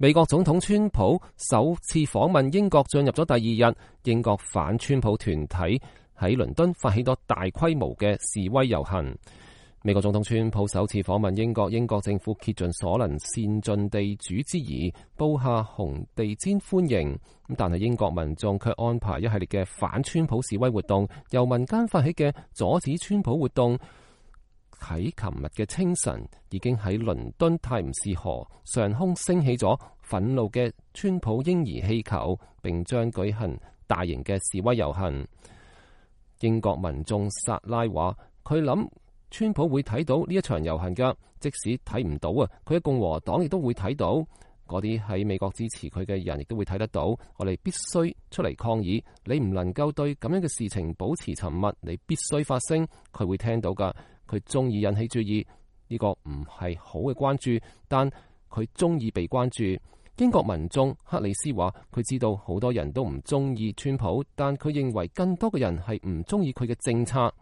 美國總統川普首次訪問英國進入咗第二日，英國反川普團體喺倫敦發起咗大規模嘅示威遊行。美國總統川普首次訪問英國，英國政府竭盡所能善盡地主之誼，布下紅地毯歡迎。但係英國民眾卻安排一系列嘅反川普示威活動，由民間發起嘅阻止川普活動，喺琴日嘅清晨已經喺倫敦泰晤士河上空升起咗憤怒嘅川普嬰兒氣球，並將舉行大型嘅示威遊行。英國民眾薩拉話：佢諗川普會睇到呢一場遊行㗎，即使睇唔到啊，佢嘅共和黨亦都會睇到，嗰啲喺美國支持佢嘅人亦都會睇得到。我哋必須出嚟抗議，你唔能夠對咁樣嘅事情保持沉默，你必須發聲，佢會聽到㗎。佢中意引起注意，呢個唔係好嘅關注，但佢中意被關注。英國民眾克里斯話：佢知道好多人都唔中意川普，但佢認為更多嘅人係唔中意佢嘅政策。